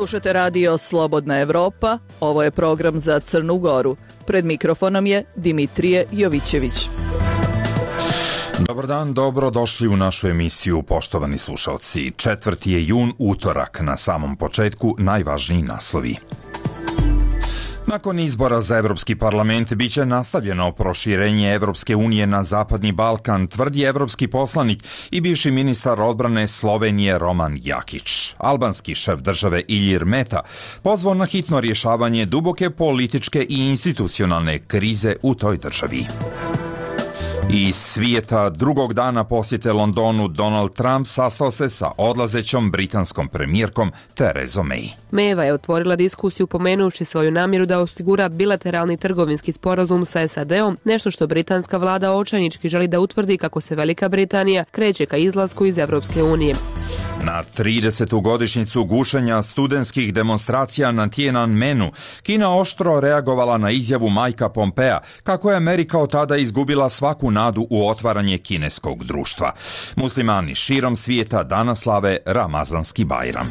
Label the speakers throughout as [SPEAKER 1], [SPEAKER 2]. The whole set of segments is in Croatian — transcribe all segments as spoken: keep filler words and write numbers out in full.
[SPEAKER 1] Slušate radio Slobodna Evropa, ovo je program za Crnu Goru. Pred mikrofonom je Dimitrije Jovićević.
[SPEAKER 2] Dobar dan, dobro došli u našu emisiju, poštovani slušalci. Četvrti je jun, utorak, na samom početku najvažniji naslovi. Nakon izbora za Evropski parlament biće nastavljeno proširenje Evropske unije na Zapadni Balkan, tvrdi evropski poslanik i bivši ministar odbrane Slovenije Roman Jakić. Albanski šef države Ilir Meta pozvao na hitno rješavanje duboke političke i institucionalne krize u toj državi. Iz svijeta drugog dana posjete Londonu Donald Trump sastao se sa odlazećom britanskom premijerkom Therezom May.
[SPEAKER 3] Mayeva je otvorila diskusiju pomenuši svoju namjeru da osigura bilateralni trgovinski sporazum sa S A D-om, nešto što britanska vlada očajnički želi da utvrdi kako se Velika Britanija kreće ka izlasku iz Evropske unije.
[SPEAKER 2] Na tridesetu godišnjicu gušenja studentskih demonstracija na Tiananmenu, Kina oštro reagovala na izjavu Mikea Pompea kako je Amerika od tada izgubila svaku nadu u otvaranje kineskog društva. Muslimani širom svijeta danas slave Ramazanski Bajram.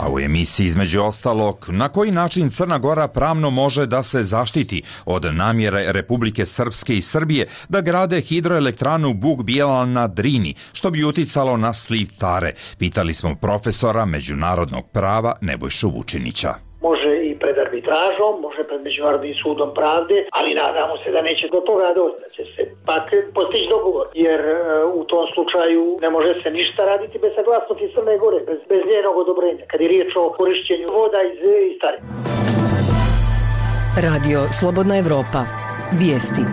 [SPEAKER 2] A u emisiji između ostalog, na koji način Crna Gora pravno može da se zaštiti od namjere Republike Srpske i Srbije da grade hidroelektranu Buk Bijela na Drini, što bi uticalo na sliv Tare, pitali smo profesora međunarodnog prava Nebojšu Vučinića.
[SPEAKER 4] Može i pred arbitražom, može pred Međunarodnim sudom pravde, ali nadamo se da neće do toga doći, da će se pak postići dogovor, jer u tom slučaju ne može se ništa raditi bez saglasnosti Crne Gore, bez, bez njenog odobrenja, kad je riječ o korišćenju voda iz, iz Tare.
[SPEAKER 1] Radio Slobodna Evropa. Vijesti.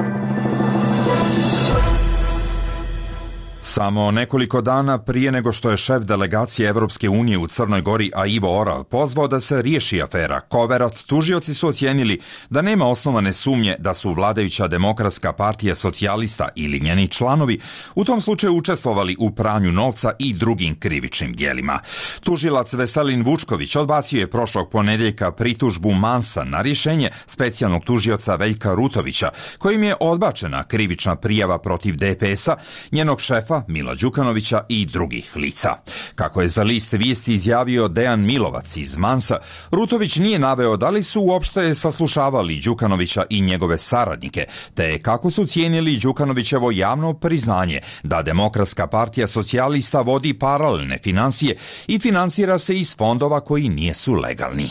[SPEAKER 2] Samo nekoliko dana prije nego što je šef delegacije Evropske unije u Crnoj Gori, a Ivo Oral, pozvao da se riješi afera Koverot, tužioci su ocijenili da nema osnovane sumnje da su vladajuća Demokratska partija socijalista ili njeni članovi u tom slučaju učestvovali u pranju novca i drugim krivičnim djelima. Tužilac Veselin Vučković odbacio je prošlog ponedjeljka pritužbu Mansa na rješenje specijalnog tužioca Veljka Rutovića, kojim je odbačena krivična prijava protiv D P S-a, njenog šefa Mila Đukanovića i drugih lica. Kako je za list vijesti izjavio Dejan Milovac iz Mansa, Rutović nije naveo da li su uopšte saslušavali Đukanovića i njegove saradnike, te kako su cijenili Đukanovićevo javno priznanje da Demokratska partija socijalista vodi paralelne financije i finansira se iz fondova koji nijesu legalni.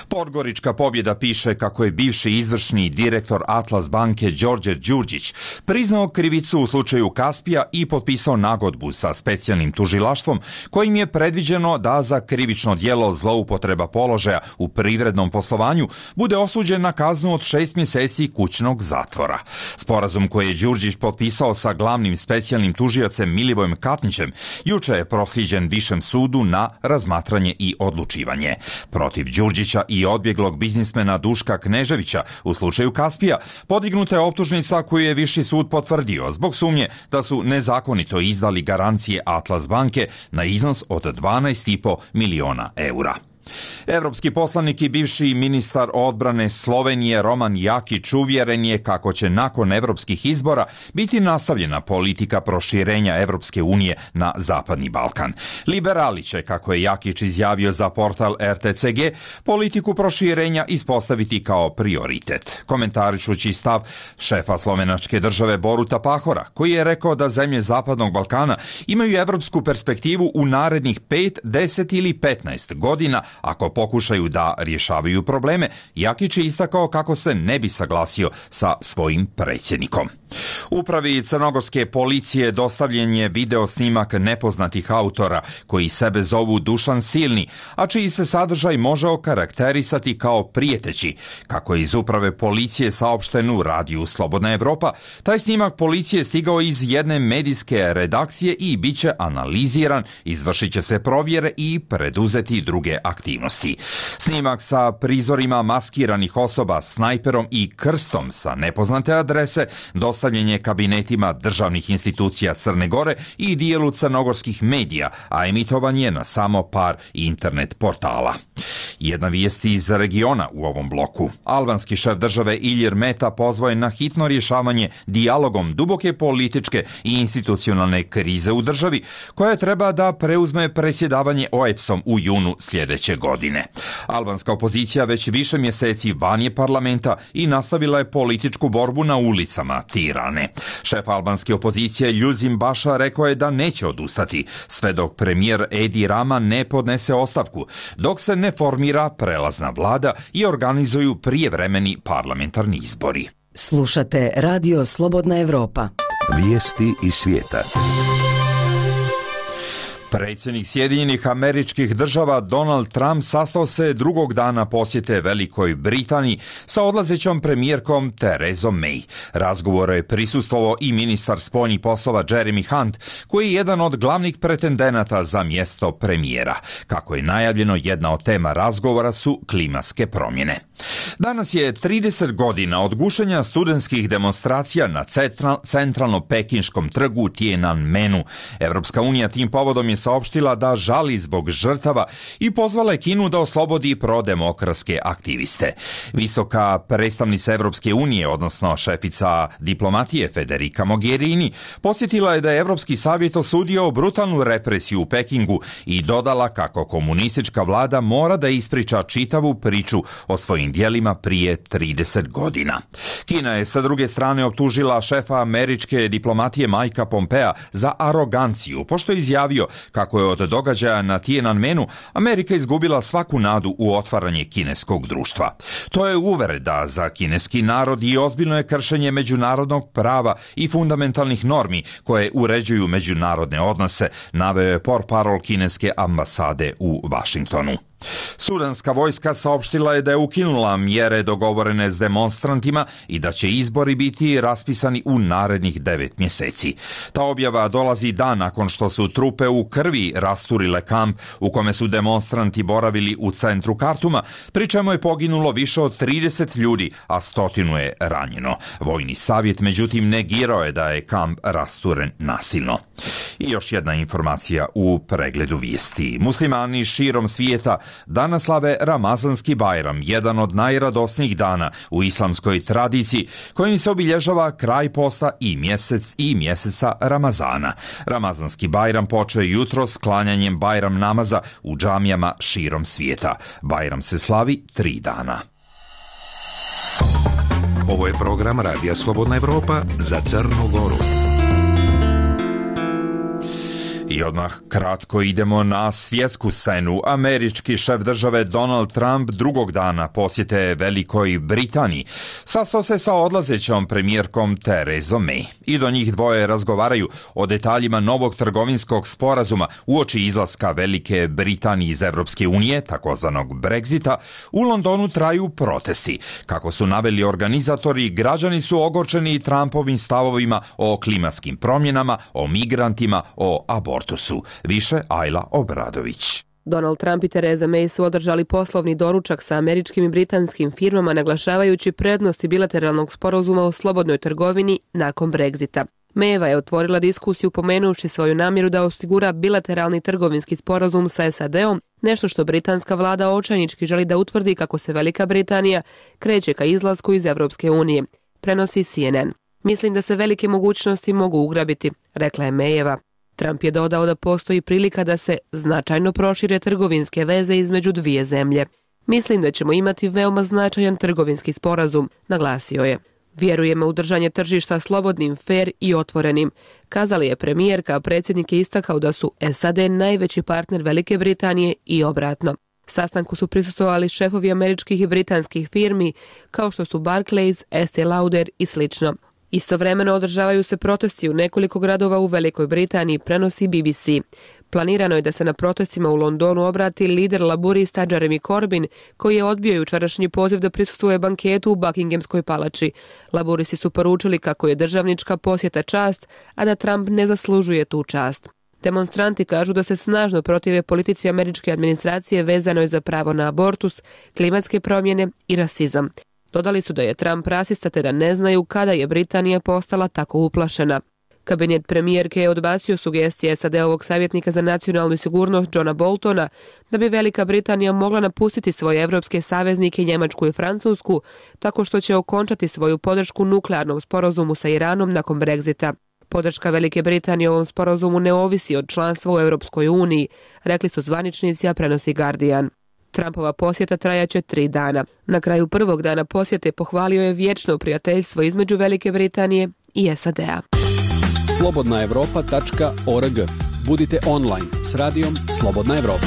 [SPEAKER 2] Podgorička pobjeda piše kako je bivši izvršni direktor Atlas banke Đorđe Đurđić priznao krivicu u slučaju Kaspija i potpisao nagodbu sa specijalnim tužilaštvom kojim je predviđeno da za krivično djelo zloupotreba položaja u privrednom poslovanju bude osuđen na kaznu od šest mjeseci kućnog zatvora. Sporazum koji je Đurđić potpisao sa glavnim specijalnim tužiocem Milivojem Katnićem juče je prosljeđen Višem sudu na razmatranje i odlučivanje. Protiv Đurđića i odbjeglog biznismena Duška Kneževića u slučaju Kaspija podignuta je optužnica koju je Viši sud potvrdio zbog sumnje da su nezakonito izdali garancije Atlas banke na iznos od dvanaest i po miliona eura. Evropski poslanik i bivši ministar odbrane Slovenije Roman Jakić uvjeren je kako će nakon evropskih izbora biti nastavljena politika proširenja Evropske unije na Zapadni Balkan. Liberali će, kako je Jakić izjavio za portal R T C G, politiku proširenja ispostaviti kao prioritet. Komentarišući stav šefa slovenačke države Boruta Pahora, koji je rekao da zemlje Zapadnog Balkana imaju evropsku perspektivu u narednih pet, deset ili petnaest godina ako pokušaju da rješavaju probleme, Jakić je istakao kako se ne bi saglasio sa svojim predsjednikom. Upravi crnogorske policije dostavljen je video snimak nepoznatih autora koji sebe zovu Dušan Silni, a čiji se sadržaj može okarakterisati kao prijeteći. Kako je iz uprave policije saopšteno u radiju Slobodna Evropa, taj snimak policije stigao iz jedne medijske redakcije i bit će analiziran, izvršit će se provjere i preduzeti druge aktivnosti. vijesti. Snimak sa prizorima maskiranih osoba, snajperom i krstom sa nepoznate adrese dostavljen je kabinetima državnih institucija Crne Gore i dijelu crnogorskih medija, a emitovan je na samo par internet portala. Jedna vijest iz regiona u ovom bloku. Albanski šef države Ilir Meta pozvao je na hitno rješavanje dijalogom duboke političke i institucionalne krize u državi, koja treba da preuzme predsjedavanje O E B S-om u junu sljedeće godine. Albanska opozicija već više mjeseci van je parlamenta i nastavila je političku borbu na ulicama Tirane. Šef albanske opozicije Ljuzim Baša rekao je da neće odustati sve dok premijer Edi Rama ne podnese ostavku, dok se ne formira prelazna vlada i organizuju prijevremeni parlamentarni izbori.
[SPEAKER 5] Slušate Radio Slobodna Evropa.
[SPEAKER 6] Vijesti iz svijeta.
[SPEAKER 2] Predsjednik Sjedinjenih Američkih Država Donald Trump sastao se drugog dana posjete Velikoj Britaniji sa odlazećom premijerkom Therezom May. Razgovore je prisustvovao i ministar spoljnih poslova Jeremy Hunt, koji je jedan od glavnih pretendenata za mjesto premijera. Kako je najavljeno, jedna od tema razgovora su klimatske promjene. Danas je trideset godina od gušenja studentskih demonstracija na centralno-pekinškom trgu Tiananmenu. Evropska unija tim povodom je saopštila da žali zbog žrtava i pozvala je Kinu da oslobodi prodemokratske aktiviste. Visoka predstavnica Evropske unije, odnosno šefica diplomatije Federica Mogherini, podsjetila je da je Evropski savjet osudio brutalnu represiju u Pekingu i dodala kako komunistička vlada mora da ispriča čitavu priču o svojim djelima prije trideset godina. Kina je sa druge strane optužila šefa američke diplomatije Mikea Pompea za aroganciju, pošto je izjavio kako je od događaja na Tiananmenu Amerika izgubila svaku nadu u otvaranje kineskog društva. To je uvreda za kineski narod i ozbiljno je kršenje međunarodnog prava i fundamentalnih normi koje uređuju međunarodne odnose, naveo je portparol kineske ambasade u Vašingtonu. Sudanska vojska saopštila je da je ukinula mjere dogovorene s demonstrantima i da će izbori biti raspisani u narednih devet mjeseci. Ta objava dolazi dan nakon što su trupe u krvi rasturile kamp u kome su demonstranti boravili u centru Kartuma, pri čemu je poginulo više od trideset ljudi, a stotinu je ranjeno. Vojni savjet međutim negirao je da je kamp rasturen nasilno. I još jedna informacija u pregledu vijesti. Muslimani širom svijeta danas slave Ramazanski Bajram, jedan od najradosnijih dana u islamskoj tradiciji, kojim se obilježava kraj posta i mjesec i mjeseca Ramazana. Ramazanski Bajram počeo je jutro s klanjanjem Bajram namaza u džamijama širom svijeta. Bajram se slavi tri dana.
[SPEAKER 6] Ovo je program Radija Slobodna Evropa za Crnu Goru.
[SPEAKER 2] I odmah kratko idemo na svjetsku scenu. Američki šef države Donald Trump drugog dana posjete Velikoj Britaniji sastao se sa odlazećom premijerkom Therezom May. I do njih dvoje razgovaraju o detaljima novog trgovinskog sporazuma uoči izlaska Velike Britanije iz Evropske unije, takozvanog Brexita. U Londonu traju protesti. Kako su naveli organizatori, građani su ogorčeni Trumpovim stavovima o klimatskim promjenama, o migrantima, o abortusu. Više Ajla Obradović.
[SPEAKER 3] Donald Trump i Theresa May su održali poslovni doručak sa američkim i britanskim firmama, naglašavajući prednosti bilateralnog sporazuma o slobodnoj trgovini nakon Brexita. Mayeva je otvorila diskusiju pomenuši svoju namjeru da osigura bilateralni trgovinski sporazum sa S A D-om, nešto što britanska vlada očajnički želi da utvrdi kako se Velika Britanija kreće ka izlasku iz Evropske unije, prenosi C N N. Mislim da se velike mogućnosti mogu ugrabiti, rekla je Mayeva. Trump je dodao da postoji prilika da se značajno prošire trgovinske veze između dvije zemlje. Mislim da ćemo imati veoma značajan trgovinski sporazum, naglasio je. Vjerujemo u držanje tržišta slobodnim, fer i otvorenim, kazali je premijerka, a predsjednik je istakao da su S A D najveći partner Velike Britanije i obratno. Sastanku su prisustvovali šefovi američkih i britanskih firmi, kao što su Barclays, Estee Lauder i slično. Istovremeno održavaju se protesti u nekoliko gradova u Velikoj Britaniji, prenosi B B C. Planirano je da se na protestima u Londonu obrati lider laburista Jeremy Corbyn, koji je odbio jučerašnji poziv da prisustvuje banketu u Buckinghamskoj palači. Laburisti su poručili kako je državnička posjeta čast, a da Trump ne zaslužuje tu čast. Demonstranti kažu da se snažno protive politici američke administracije vezanoj za pravo na abortus, klimatske promjene i rasizam. Dodali su da je Trump rasista te da ne znaju kada je Britanija postala tako uplašena. Kabinet premijerke je odbacio sugestije S A D-ovog savjetnika za nacionalnu sigurnost Johna Boltona da bi Velika Britanija mogla napustiti svoje evropske saveznike Njemačku i Francusku tako što će okončati svoju podršku nuklearnom sporazumu sa Iranom nakon Brexita. Podrška Velike Britanije ovom sporazumu ne ovisi od članstva u Europskoj uniji, rekli su zvaničnici, a prenosi Guardian. Trumpova posjeta trajaće tri dana. Na kraju prvog dana posjete pohvalio je vječno prijateljstvo između Velike Britanije i S A D-a.
[SPEAKER 7] slobodna evropa tačka org. Budite online s radijom Slobodna Evropa.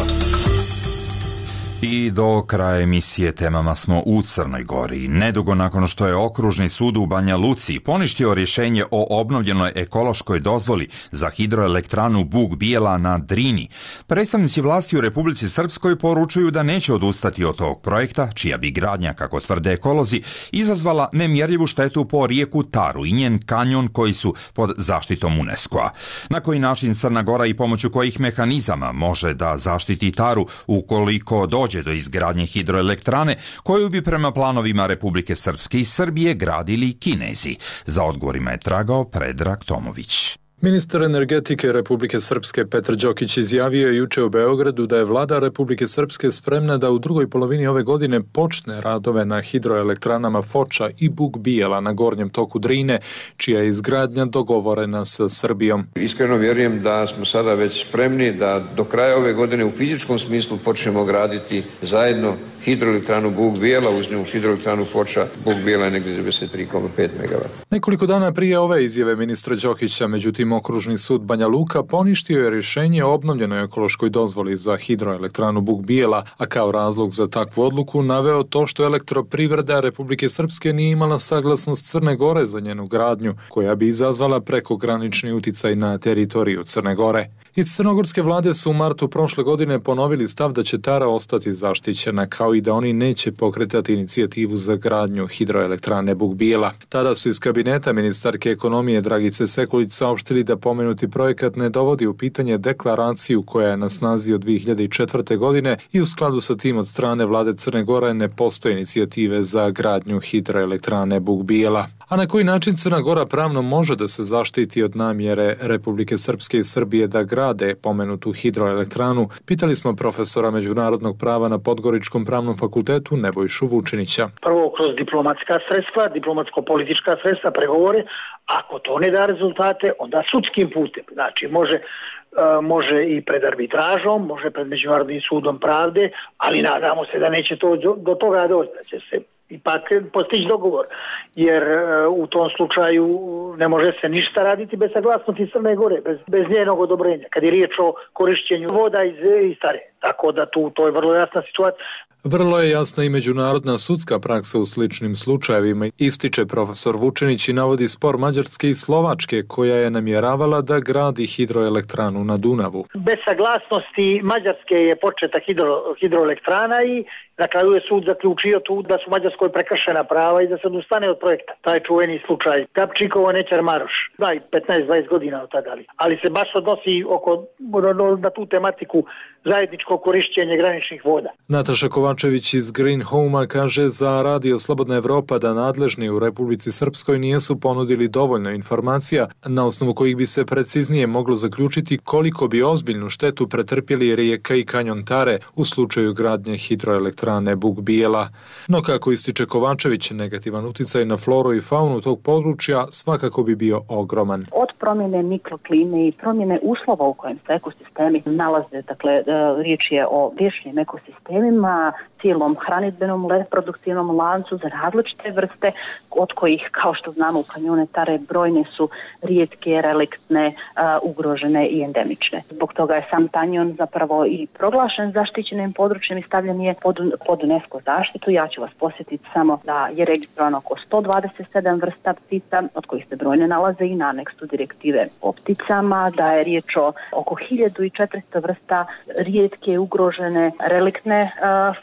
[SPEAKER 2] I do kraja emisije temama smo u Crnoj Gori. Nedugo nakon što je Okružni sud u Banja Luci poništio rješenje o obnovljenoj ekološkoj dozvoli za hidroelektranu Buk Bijela na Drini, predstavnici vlasti u Republici Srpskoj poručuju da neće odustati od tog projekta, čija bi gradnja, kako tvrde ekolozi, izazvala nemjerljivu štetu po rijeku Taru i njen kanjon koji su pod zaštitom UNESCO-a. Na koji način Crna Gora i pomoću kojih mehanizama može da zaštiti Taru ukoliko dođe do izgradnje hidroelektrane koju bi prema planovima Republike Srpske i Srbije gradili Kinezi? Za odgovorima je tragao Predrag Tomović.
[SPEAKER 8] Ministar energetike Republike Srpske Petar Đokić izjavio je juče u Beogradu da je vlada Republike Srpske spremna da u drugoj polovini ove godine počne radove na hidroelektranama Foča i Buk Bijela na gornjem toku Drine, čija je izgradnja dogovorena sa Srbijom.
[SPEAKER 9] Iskreno vjerujem da smo sada već spremni da do kraja ove godine u fizičkom smislu počnemo graditi zajedno hidroelektranu Buk Bijela, uz nju hidroelektranu Foča. Buk Bijela je negdje devedeset tri zarez pet megavata.
[SPEAKER 8] Nekoliko dana prije ove izjave ministra Đokića, međutim, Okružni sud Banja Luka poništio je rješenje o obnovljenoj ekološkoj dozvoli za hidroelektranu Buk Bijela, a kao razlog za takvu odluku naveo to što elektroprivreda Republike Srpske nije imala saglasnost Crne Gore za njenu gradnju, koja bi izazvala prekogranični uticaj na teritoriju Crne Gore. Iz crnogorske vlade su u martu prošle godine ponovili stav da će Tara ostati zaštićena, kao i da oni neće pokretati inicijativu za gradnju hidroelektrane Buk Bijela. Tada su iz kabineta ministarke ekonomije Dragice Sekulić saopštili da pomenuti projekat ne dovodi u pitanje deklaraciju koja je na snazi od dvije hiljade četvrte. godine i u skladu sa tim od strane vlade Crne Gore ne postoje inicijative za gradnju hidroelektrane Buk Bijela. A na koji način Crna Gora pravno može da se zaštiti od namjere Republike Srpske i Srbije da grade pomenutu hidroelektranu, pitali smo profesora međunarodnog prava na Podgoričkom pravnom fakultetu Nebojšu Vučinića.
[SPEAKER 4] Prvo kroz diplomatska sredstva, diplomatsko-politička sredstva, pregovore. Ako to ne da rezultate, onda sudskim putem. Znači, može, može i pred arbitražom, može pred Međunarodnim sudom pravde, ali nadamo se da neće to do toga doći, da će se ipak postići dogovor, jer u tom slučaju ne može se ništa raditi bez saglasnosti Crne Gore, bez, bez njenog odobrenja, kad je riječ o korišćenju voda iz, iz Tare. Tako da tu to je vrlo jasna situacija.
[SPEAKER 8] Vrlo je jasna i međunarodna sudska praksa u sličnim slučajevima, ističe profesor Vučinić i navodi spor Mađarske i Slovačke koja je namjeravala da gradi hidroelektranu na Dunavu.
[SPEAKER 4] Bez saglasnosti Mađarske je početa hidro, hidroelektrana i na kraju je sud zaključio tu da su Mađarskoj prekršena prava i da se odustane od projekta. Taj čuveni slučaj Kapčikovo Nećar Maroš. Da, i petnaest dvadeset godina od tada. Ali se baš odnosi oko, na tu tematiku zajedničko korišćenje graničnih voda.
[SPEAKER 8] Nataša Kovačević iz Green Home-a kaže za Radio Slobodna Evropa da nadležni u Republici Srpskoj nisu ponudili dovoljno informacija na osnovu kojih bi se preciznije moglo zaključiti koliko bi ozbiljnu štetu pretrpjeli rijeka i kanjon Tare u slučaju gradnje hidroelektrane Buk Bijela. No kako ističe Kovačević, negativan uticaj na floru i faunu tog područja svakako bi bio ogroman.
[SPEAKER 10] Od promjene mikroklime i promjene uslova u kojem se ekosistemi nalaze, dakle riječ je o riječnim ekosistemima, cijelom hranidbenom reproduktivnom lancu za različite vrste, od kojih, kao što znamo, u kanjone Tare brojne su rijetke, reliktne, uh, ugrožene i endemične. Zbog toga je sam kanjon zapravo i proglašen zaštićenim područjem i stavljen je pod, pod UNESCO zaštitu. Ja ću vas posjetiti samo da je registrovano oko sto dvadeset sedam vrsta ptica, od kojih se brojne nalaze i na aneksu direktive o pticama, da je riječ o oko hiljadu četiristo vrsta rijetke, ugrožene, reliktne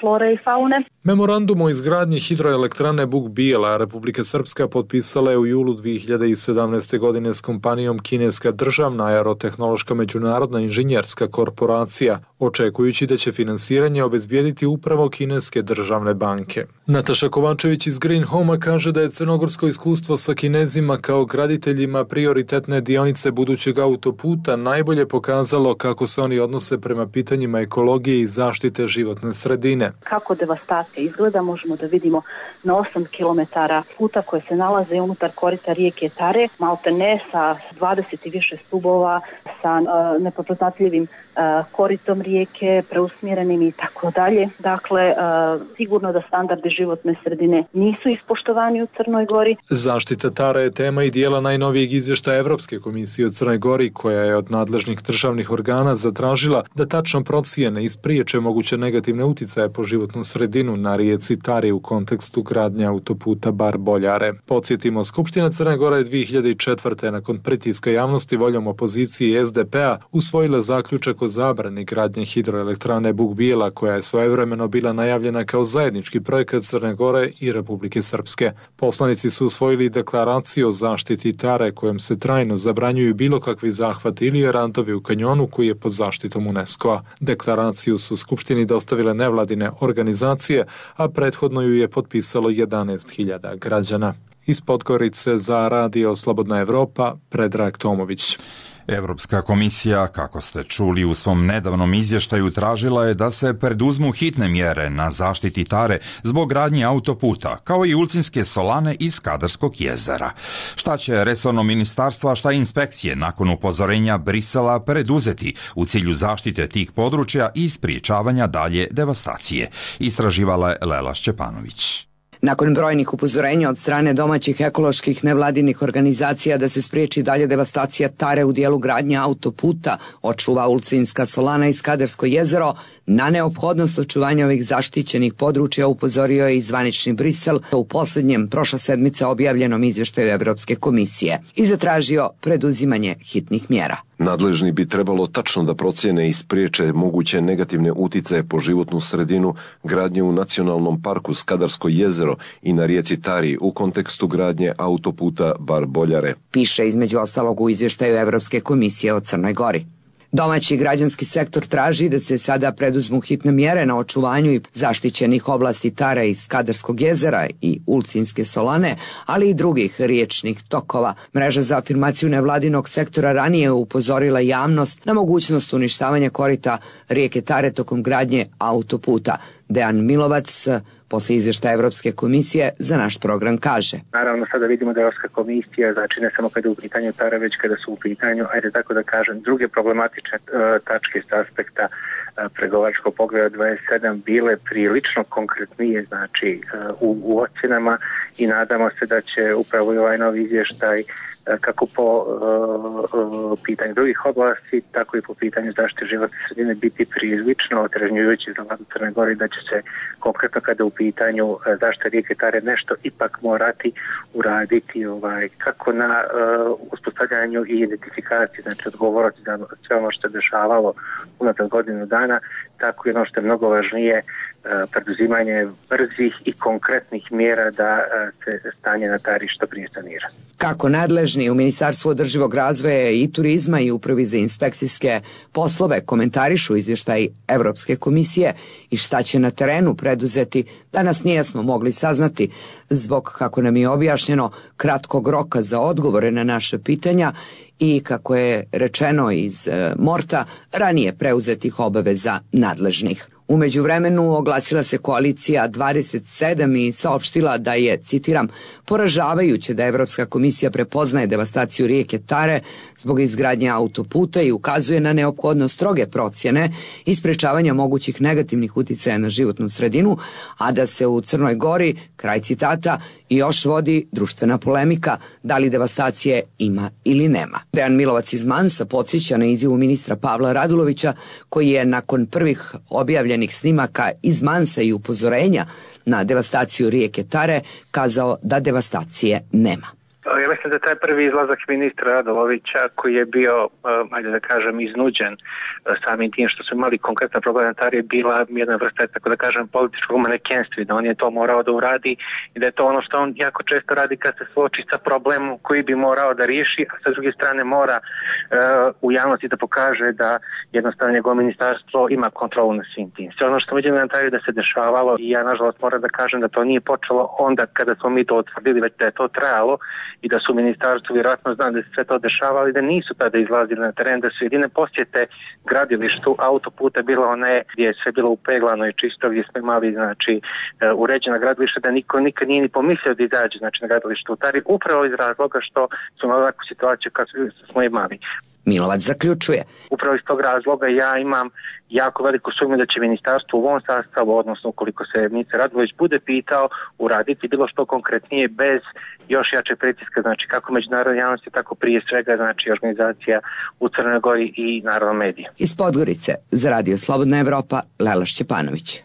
[SPEAKER 10] flore i faune.
[SPEAKER 8] Memorandum o izgradnji hidroelektrane Buk Bijela Republika Srpska potpisala je u julu dvije hiljade sedamnaeste. godine s kompanijom kineska državna aerotehnološka međunarodna inženjerska korporacija, očekujući da će finansiranje obezbijediti upravo kineske državne banke. Nataša Kovačević iz Green Home-a kaže da je crnogorsko iskustvo sa Kinezima kao graditeljima prioritetne dionice budućeg autoputa najbolje pokazalo kako se oni odnose prema pitanjima ekologije i zaštite životne sredine.
[SPEAKER 10] Kako devastacija izgleda možemo da vidimo na osam kilometara puta koje se nalaze unutar korita rijeke Tare, malte ne sa dvadeset i više stubova, sa uh, neprepoznatljivim uh, koritom rijeke, preusmjerenim i tako dalje. Dakle, uh, sigurno da standardi životne sredine nisu ispoštovani u Crnoj Gori.
[SPEAKER 8] Zaštita Tare je tema i dijela najnovijeg izvještaja Evropske komisije o Crnoj Gori, koja je od nadležnih državnih organa zatražila da tačno procijene i spriječe moguće negativne uticaje po životnu sredinu na rijeci Tari u kontekstu gradnje autoputa Bar-Boljare. Podsjetimo, Skupština Crne Gore je dvije hiljade četvrte. nakon pritiska javnosti voljom opozicije i S D P-a usvojila zaključak o zabrani gradnje hidroelektrane Buk Bijela, koja je svojevremeno bila najavljena kao zajednički projekat Crne Gore i Republike Srpske. Poslanici su usvojili deklaraciju o zaštiti Tare, kojom se trajno zabranjuju bilo kakvi zahvati ili rantovi u kanjonu koji je pod zaštitom UNESCO-a. Deklaraciju su Skupštini dostavile nevladine organizacije, a prethodno ju je potpisalo jedanaest hiljada građana. Iz Podgorice za Radio Slobodna Evropa, Predrag Tomović.
[SPEAKER 2] Evropska komisija, kako ste čuli u svom nedavnom izvještaju, tražila je da se preduzmu hitne mjere na zaštiti Tare zbog gradnje autoputa, kao i Ulcinske solane iz Skadarskog jezera. Šta će resorno ministarstvo, a šta inspekcije nakon upozorenja Brisela preduzeti u cilju zaštite tih područja i spriječavanja dalje devastacije? Istraživala je Lela Šćepanović.
[SPEAKER 11] Nakon brojnih upozorenja od strane domaćih ekoloških nevladinih organizacija da se spriječi dalje devastacija Tare u dijelu gradnje autoputa, očuva Ulcinska solana i Skadarsko jezero, na neophodnost očuvanja ovih zaštićenih područja upozorio je i zvanični Brisel u posljednjem prošla sedmica objavljenom izvještaju Evropske komisije i zatražio preduzimanje hitnih mjera.
[SPEAKER 12] Nadležni bi trebalo tačno da procijene i spriječe moguće negativne uticaje po životnu sredinu gradnje u nacionalnom parku Skadarsko jezero i na rijeci Tari u kontekstu gradnje autoputa Bar-Boljare.
[SPEAKER 11] Piše između ostalog u izvještaju Evropske komisije o Crnoj Gori. Domaći građanski sektor traži da se sada preduzmu hitne mjere na očuvanju i zaštićenih oblasti Tare i Skadarskog jezera i Ulcinske solane, ali i drugih riječnih tokova. Mreža za afirmaciju nevladinog sektora ranije upozorila javnost na mogućnost uništavanja korita rijeke Tare tokom gradnje autoputa. Dejan Milovac, posle izvještaja Evropske komisije, za naš program kaže.
[SPEAKER 13] Naravno, sada vidimo da je Evropska komisija, znači ne samo kada je u pitanju Tare, već kada su u pitanju, ajde tako da kažem, druge problematične uh, tačke s aspekta uh, pregovaračkog poglavlja dvadeset sedam bile prilično konkretnije, znači uh, u, u ocjenama, i nadamo se da će upravo i ovaj novi izvještaj kako po uh, pitanju drugih oblasti, tako i po pitanju zaštite životne sredine biti prilično otrežnjujući za vladu Crne Gore, da će se konkretno kada u pitanju zaštite rijeke Tare nešto ipak morati uraditi, ovaj, kako na uh, uspostavljanju i identifikaciji, znači odgovoriti za sve ono što je dešavalo unatrag godinu dana, tako i ono što je mnogo važnije, preduzimanje brzih i konkretnih mjera da se stanje na Tari što prije sanira.
[SPEAKER 11] Kako nadležni u Ministarstvu održivog razvoja i turizma i Upravi za inspekcijske poslove komentarišu izvještaj Evropske komisije i šta će na terenu preduzeti, danas nijesmo mogli saznati zbog, kako nam je objašnjeno, kratkog roka za odgovore na naše pitanja i, kako je rečeno iz e, Morta, ranije preuzetih obaveza nadležnih. U međuvremenu oglasila se koalicija dvadeset sedam i saopštila da je, citiram, poražavajuće da Evropska komisija prepoznaje devastaciju rijeke Tare zbog izgradnje autoputa i ukazuje na neophodnost stroge procjene i sprečavanja mogućih negativnih uticaja na životnu sredinu, a da se u Crnoj Gori, kraj citata, još vodi društvena polemika da li devastacije ima ili nema. Dejan Milovac iz Mansa podsjeća na izjavu ministra Pavla Radulovića, koji je nakon prvih objavljenih snimaka iz Mansa i upozorenja na devastaciju rijeke Tare kazao da devastacije nema.
[SPEAKER 13] ja mislim da taj prvi izlazak ministra Radulovića koji je bio, ajde da kažem, iznuđen samim tim što su imali konkretna problematari, bila jedna vrsta, tako da kažem, političkog manekenstva, da on je to morao da uradi i da je to ono što on jako često radi kad se suoči sa problemom koji bi morao da riješi, a sa druge strane mora uh, u javnosti da pokaže da jednostavno njegovo ministarstvo ima kontrolu na svim tim. Sve ono što vidimo na taj da se dešavalo i ja nažalost moram da kažem da to nije počelo onda kada smo mi to otvrdili, već da je to trajalo i da su u ministarstvu vjerojatno znam da se sve to dešavalo i da nisu tada izlazili na teren, da su jedine posjete gradilištu autoputa bila one gdje je sve bilo upeglano i čisto, gdje smo imali znači uređena gradilišta, da niko nikad nije ni pomislio da izađe znači na gradilištu u Tari, upravo iz razloga što smo imali ovakvu situaciju kad smo imali.
[SPEAKER 11] Milovac zaključuje.
[SPEAKER 13] Upravo iz tog razloga ja imam jako veliku sumnju da će ministarstvo u ovom sastavu, odnosno ukoliko se ministar Radulović bude pitao, uraditi bilo što konkretnije bez još jače pritiska, znači kako međunarodne javnosti, tako prije svega znači organizacija u Crnoj Gori i naravno medija.
[SPEAKER 11] Iz Podgorice za Radio Slobodna Evropa, Lela Šćepanović.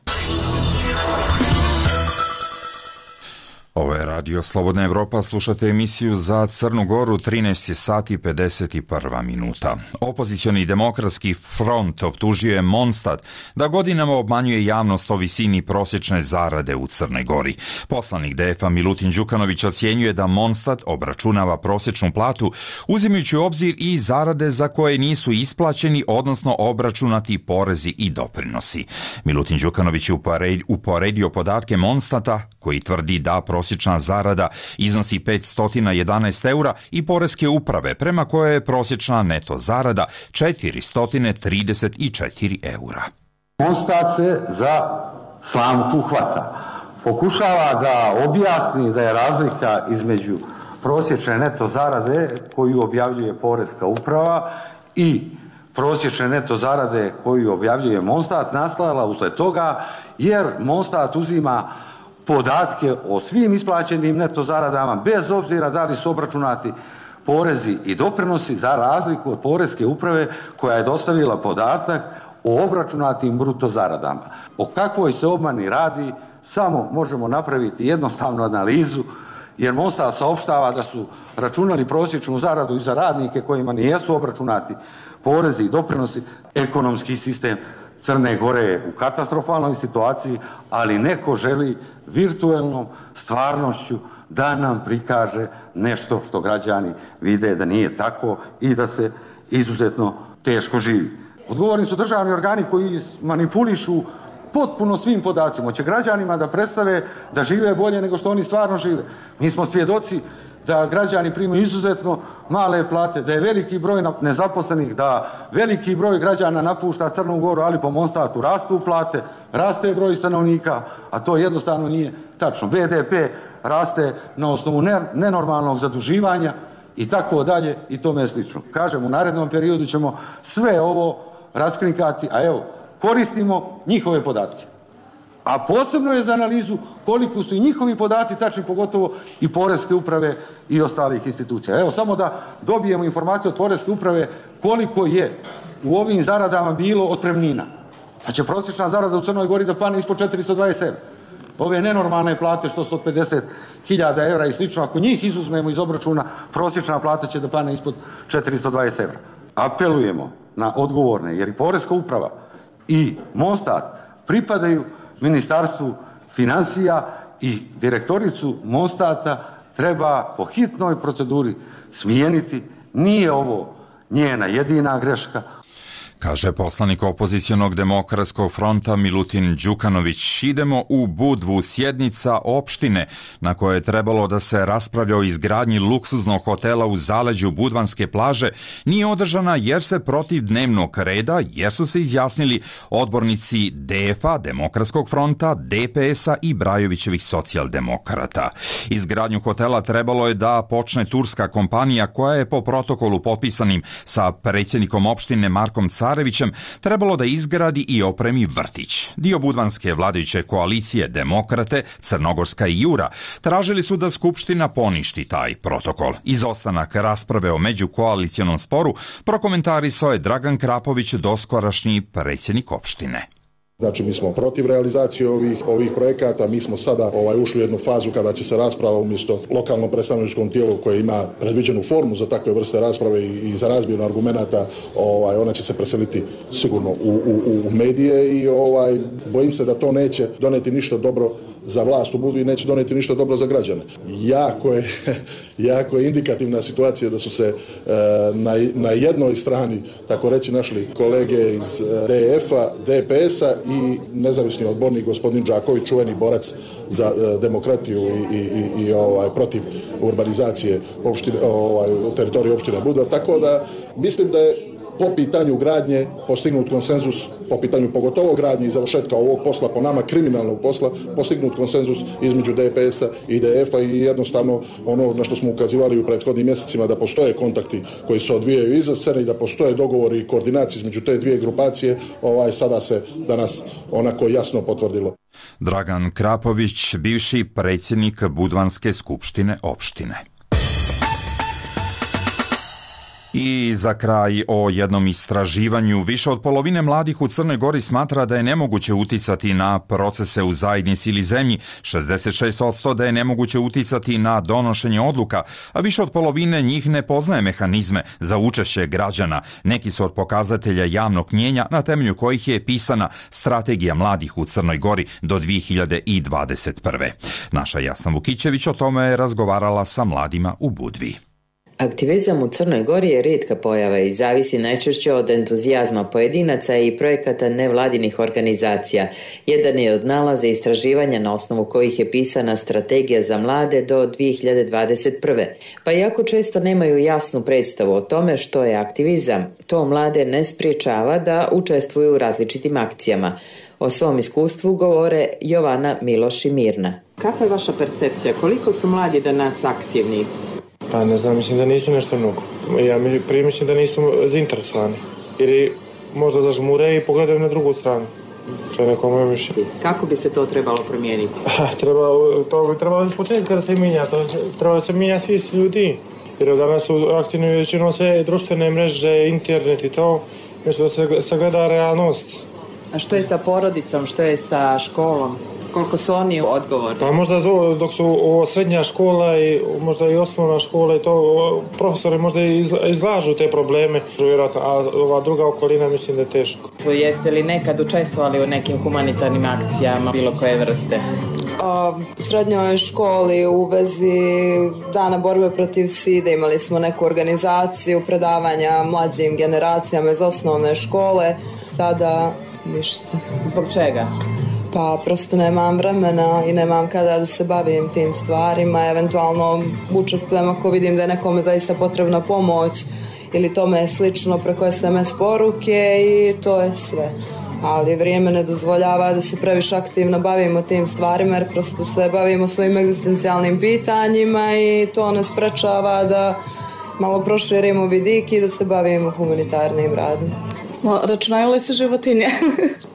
[SPEAKER 2] Ovo je Radio Slobodna Evropa, slušate emisiju za Crnu Goru, trinaest sati pedeset jedna minuta. Opozicioni demokratski front optužio je Mondstad da godinama obmanjuje javnost o visini prosječne zarade u Crnoj Gori. Poslanik D F A Milutin Đukanović ocjenjuje da Mondstad obračunava prosječnu platu uzimajući u obzir i zarade za koje nisu isplaćeni, odnosno obračunati porezi i doprinosi. Milutin Đukanović je uporedio podatke Mondstada koji tvrdi da prosječna zarada iznosi petsto jedanaest eura i poreske uprave prema kojoj je prosječna neto zarada četiristo trideset četiri eura.
[SPEAKER 14] Mondstad se za slamku hvata. Pokušava da objasni da je razlika između prosječne neto zarade koju objavljuje poreska uprava i prosječne neto zarade koju objavljuje Mondstad nastala usled toga jer Mondstad uzima podatke o svim isplaćenim neto zaradama bez obzira da li su obračunati porezi i doprinosi za razliku od poreske uprave koja je dostavila podatak o obračunatim bruto zaradama. O kakvoj se obmani radi samo možemo napraviti jednostavnu analizu jer Mondstad saopštava da su računali prosječnu zaradu i za radnike kojima nijesu obračunati porezi i doprinosi. Ekonomski sistem Crne Gore je u katastrofalnoj situaciji, ali neko želi virtuelnom stvarnošću da nam prikaže nešto što građani vide da nije tako i da se izuzetno teško živi. Odgovorni su državni organi koji manipulišu potpuno svim podacima. Hoće građanima da predstave da žive bolje nego što oni stvarno žive. Mi smo svjedoci da građani primaju izuzetno male plate, da je veliki broj nezaposlenih, da veliki broj građana napušta Crnu Goru, ali po Mondstadu rastu plate, raste broj stanovnika, a to jednostavno nije tačno. B D P raste na osnovu nenormalnog zaduživanja i tako dalje i tome slično. Kažem, u narednom periodu ćemo sve ovo raskrinkati, a evo, koristimo njihove podatke. A posebno je za analizu koliko su i njihovi podaci tačni, pogotovo i poreske uprave i ostalih institucija. Evo, samo da dobijemo informaciju od poreske uprave koliko je u ovim zaradama bilo otpremnina. Pa će prosječna zarada u Crnoj Gori da pane ispod četiristo dvadeset evra. Ove nenormalne plate što su od pedeset hiljada evra i slično, ako njih izuzmemo iz obračuna, prosječna plata će da pane ispod četiristo dvadeset evra. Apelujemo na odgovorne, jer i poreska uprava i Mondstad pripadaju Ministarstvu financija i direktoricu Mondstada treba po hitnoj proceduri smijeniti. Nije ovo njena jedina greška.
[SPEAKER 2] Kaže poslanik opozicionog demokratskog fronta Milutin Đukanović. Idemo u Budvu, sjednica opštine na kojoj je trebalo da se raspravlja o izgradnji luksuznog hotela u zaleđu Budvanske plaže nije održana jer se protiv dnevnog reda, jer su se izjasnili odbornici D F A, Demokratskog fronta, D P S-a i Brajovićevih socijaldemokrata. Izgradnju hotela trebalo je da počne turska kompanija koja je po protokolu potpisanim sa predsjednikom opštine Markom Carevićem trebalo da izgradi i opremi vrtić. Dio budvanske vladajuće koalicije Demokrate, Crnogorska i Jura tražili su da Skupština poništi taj protokol. Izostanak rasprave o međukoalicijonom sporu prokomentarisao je Dragan Krapović, doskorašnji predsjednik opštine.
[SPEAKER 15] Znači mi smo protiv realizacije ovih, ovih projekata, mi smo sada ovaj, ušli u jednu fazu kada će se rasprava umjesto lokalnom predstavničkom tijelu koje ima predviđenu formu za takve vrste rasprave i, i za razmjenu argumenata, ovaj, ona će se preseliti sigurno u, u, u medije i ovaj, bojim se da to neće doneti ništa dobro za vlast u Budvi i neće doneti ništa dobro za građane. Jako je, jako je indikativna situacija da su se e, na, na jednoj strani, tako reći, našli kolege iz D F-a, D P S-a i nezavisni odbornik gospodin Đaković, čuveni borac za e, demokratiju i, i, i, i ovaj, protiv urbanizacije opštine, ovaj, teritorije opštine Budva. Tako da mislim da je po pitanju gradnje postignut konsenzus, po pitanju pogotovo gradnje i završetka ovog posla, po nama kriminalnog posla, postignut konsenzus između D P S-a i D F-a i jednostavno ono na što smo ukazivali u prethodnim mjesecima da postoje kontakti koji se odvijaju iza scene i da postoje dogovori i koordinacije između te dvije grupacije, ovaj, sada se danas onako jasno potvrdilo.
[SPEAKER 2] Dragan Krapović, bivši predsjednik Budvanske skupštine opštine. I za kraj o jednom istraživanju. Više od polovine mladih u Crnoj Gori smatra da je nemoguće uticati na procese u zajednici ili zemlji, šezdeset šest posto da je nemoguće uticati na donošenje odluka, a više od polovine njih ne poznaje mehanizme za učešće građana. Neki su od pokazatelja javnog mnjenja na temelju kojih je pisana Strategija mladih u Crnoj Gori do dvije hiljade dvadeset prve. Naša Jasna Vukićević o tome je razgovarala sa mladima u Budvi.
[SPEAKER 16] Aktivizam u Crnoj Gori je rijetka pojava i zavisi najčešće od entuzijazma pojedinaca i projekata nevladinih organizacija. Jedan je od nalaza istraživanja na osnovu kojih je pisana Strategija za mlade do dvije hiljade dvadeset prve. Pa jako često nemaju jasnu predstavu o tome što je aktivizam, to mlade ne spriječava da učestvuju u različitim akcijama. O svom iskustvu govore Jovana, Miloš i Mirna.
[SPEAKER 17] Kakva je vaša percepcija? Koliko su mladi danas aktivni?
[SPEAKER 18] Pa ne znam, mislim da nisu nešto mnogo. Ja prije mislim da nisu zainteresovani. Jer možda zažmure i pogledaju na drugu stranu. To je neko moje mišljenje.
[SPEAKER 17] Kako bi se to trebalo promijeniti?
[SPEAKER 18] Treba, to bi trebalo iz početka da se mijenja. To treba da se mijenja svi ljudi. Jer danas su aktivni većinom sve društvene mreže, internet i to. Mislim da se sagleda realnost.
[SPEAKER 17] A što je sa porodicom, što je sa školom? Koliko su oni odgovorni?
[SPEAKER 18] Pa možda to, dok su o, srednja škola i možda i osnovna škola i to, profesori možda izlažu te probleme, vjerojatno, a ova druga okolina mislim da je teško.
[SPEAKER 17] Jeste li nekad učestvovali u nekim humanitarnim akcijama bilo koje vrste?
[SPEAKER 19] U srednjoj školi u vezi dana borbe protiv side imali smo neku organizaciju predavanja mlađim generacijama iz osnovne škole, tada ništa.
[SPEAKER 17] Zbog čega?
[SPEAKER 19] Pa prosto nemam vremena i nemam kada da se bavim tim stvarima, eventualno učestvujem ako vidim da je nekome zaista potrebna pomoć ili tome slično preko es em es poruke i to je sve. Ali vrijeme ne dozvoljava da se previše aktivno bavimo tim stvarima jer prosto se bavimo svojim egzistencijalnim pitanjima i to nas sprečava da malo proširimo vidik i da se bavimo humanitarnim radom.
[SPEAKER 20] Računaju li se životinje?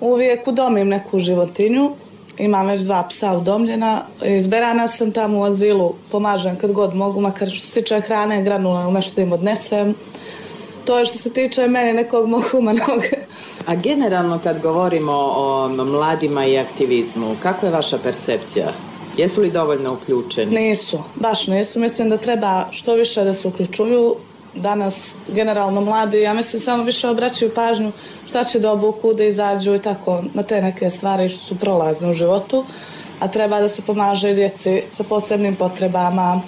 [SPEAKER 20] Uvijek udomim neku životinju. Imam već dva psa udomljena. Izberana sam tamo u azilu. Pomažem kad god mogu, makar što se tiče hrane, granula ili nešto da im odnesem. To je što se tiče mene nekog mog humanog.
[SPEAKER 17] A generalno kad govorimo o mladima i aktivizmu, kakva je vaša percepcija? Jesu li dovoljno uključeni?
[SPEAKER 20] Nisu, baš nisu. Mislim da treba što više da se uključuju. Danas generalno mladi, ja mislim, samo više obraćaju pažnju šta će da obuku, da izađu i tako na te neke stvari što su prolazne u životu, a treba da se pomaže i djeci sa posebnim potrebama,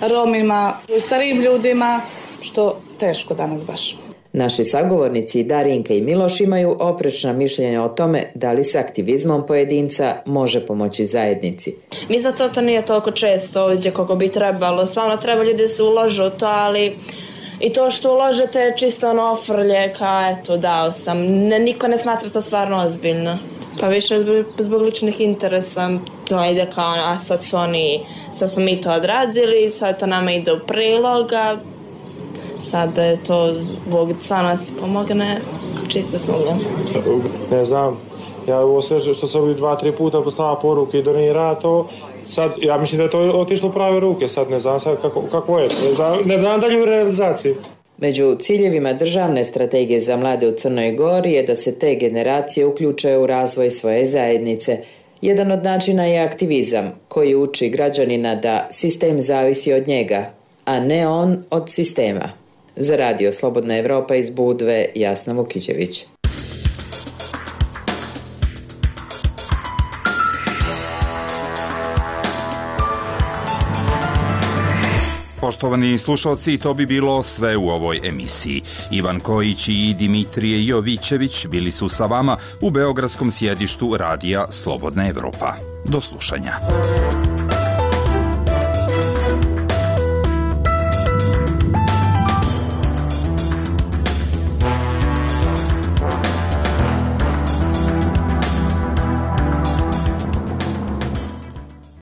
[SPEAKER 20] Romima i starijim ljudima, što teško danas baš.
[SPEAKER 16] Naši sagovornici Darinka i Miloš imaju oprečna mišljenja o tome da li se aktivizmom pojedinca može pomoći zajednici.
[SPEAKER 21] Mislim da to nije toliko često ovdje koliko bi trebalo. Stvarno treba ljudi da se uložu u to, ali i to što uložete je čisto ono ofrlje, kao eto dao sam. Ne, niko ne smatra to stvarno ozbiljno. Pa više zbog, zbog ličnih interesa to ide kao, a sad su oni, sad smo mi to odradili, sad to nama ide u priloga. Sad da je to zbog stvarno se pomogne, čisto sumnjam.
[SPEAKER 18] Ne znam, ja ovo sve što sam ovdje dva, tri puta poslala poruke i donira to, sad, ja mislim da je to otišlo u prave ruke, sad ne znam sad kako, kako je, ne znam, ne znam dalje u realizaciji.
[SPEAKER 16] Među ciljevima državne strategije za mlade u Crnoj Gori je da se te generacije uključe u razvoj svoje zajednice. Jedan od načina je aktivizam, koji uči građanina da sistem zavisi od njega, a ne on od sistema. Za Radio Slobodna Evropa iz Budve, Jasna Vukićević.
[SPEAKER 2] Poštovani slušalci, to bi bilo sve u ovoj emisiji. Ivan Kojić i Dimitrije Jovićević bili su sa vama u beogradskom sjedištu Radija Slobodna Evropa. Do slušanja.